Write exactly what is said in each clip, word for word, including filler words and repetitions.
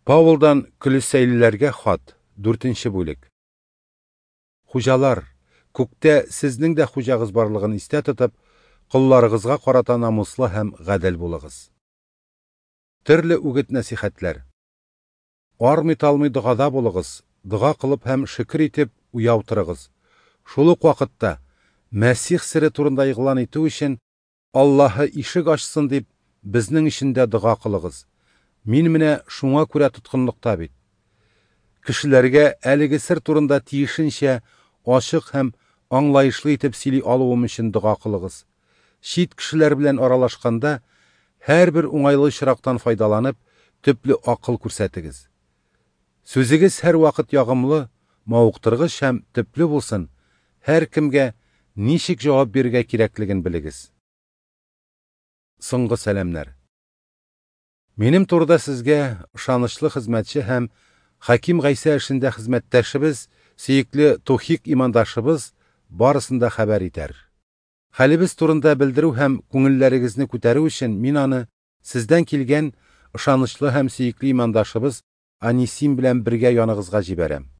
Паулдан Колоссәйлеләргә хат, дүртенче бүлек. Хуҗалар, күктә сезнең дә хуҗагыз барлыгын истә тотып, колларыгызга карата намуслы һәм гадел булыгыз. Төрле үгет-нәсихәтләр. Армый-талмый догада булыгыз, дога кылып һәм шөкер итеп уяу торыгыз. Шул ук вакытта Мәсих сере турында игълан итү өчен Аллаһы ишек ачсын дип, безнең өчен дә дога кылыгыз. Мин менә шуңа күрә тоткынлыкта бит. Кешеләргә әлеге сер турында тиешенчә ачык һәм аңлаешлы итеп сөйли алуым өчен дога кылыгыз. Чит кешеләр белән аралашканда һәрбер уңайлы очрактан файдаланып, төпле акыл күрсәтегез. Сүзегез һәрвакыт ягымлы, мавыктыргыч һәм төпле булсын, һәркемгә ничек җавап бирергә кирәклеген белегез. Соңгы сәламнәр. Минем турыда сезгә ышанычлы хезмәтче һәм Хаким Гайсә эшендә хезмәттәшебез, сөекле Тухик имандашыбыз барысын да хәбәр итәр. Хәлебез турында белдерү һәм күңелләрегезне күтәрү өчен мин аны сездән килгән ышанычлы һәм сөекле имандашыбыз Анисим белән бергә яныгызга җибәрәм.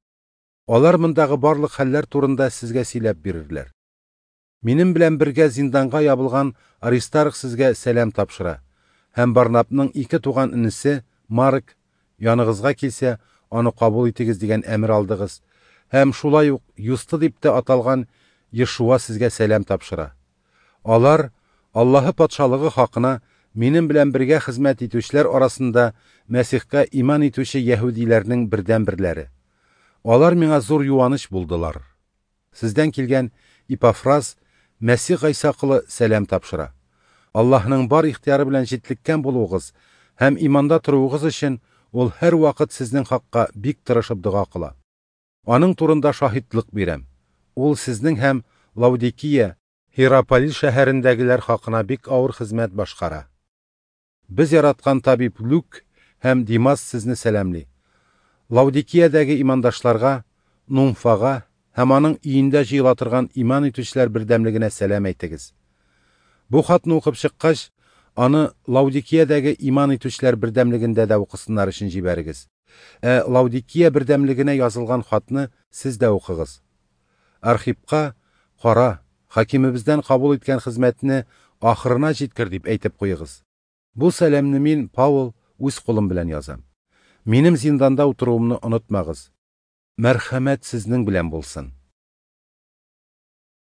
Алар мондагы барлык хәлләр турында сезгә сөйләп бирерләр. Минем белән бергә зинданга ябылган Аристарх сезгә сәлам тапшыра. Һәм Барнабның ике туган энесе Марк яныгызга килсә, аны кабул итегез дигән әмер алдыгыз. Һәм шулай ук Юсты дип тә аталган Йешуа сезгә сәлам тапшыра. Алар Аллаһы патшалыгы хакына минем белән бергә хезмәт итүчеләр арасында Мәсихкә иман итүче яһүдиләрнең бердәнберләре. Алар миңа зур юаныч булдылар. Сездән килгән Ипафраз Мәсих Гайсә колы сәлам тапшыра. Аллаһның бар ихтыяры белән җитлеккән булуыгыз һәм иманда торуыгыз өчен ул һәрвакыт сезнең хакка бик тырышып дога кыла. Аның турында шаһитлык бирәм. Ул сезнең һәм Лаодикия, Һиераполис шәһәрендәгеләр хакына бик авыр хезмәт башкара. Без яраткан табиб Люк һәм Димас сезне сәламли. Лаодикиядәге имандашларга, Нумфага һәм аның өендә җыела торган иман итүчеләр бердәмлегенә сәлам әйтегез. Бу хатны укып чыккач, аны Лаодикиядәге иман итүчеләр бердәмлегендә дә укысыннар өчен җибәрегез. Ә Лаодикия бердәмлегенә язылган хатны сез дә укыгыз. Архипка кара, хакимебездән кабул иткән хезмәтне ахырына җиткер дип әйтеп куегыз. Бу сәламне мин, Паул, үз кулым белән язам. Минем зинданда утыруымны онытмагыз. Мәрхәмәт сезнең белән булсын.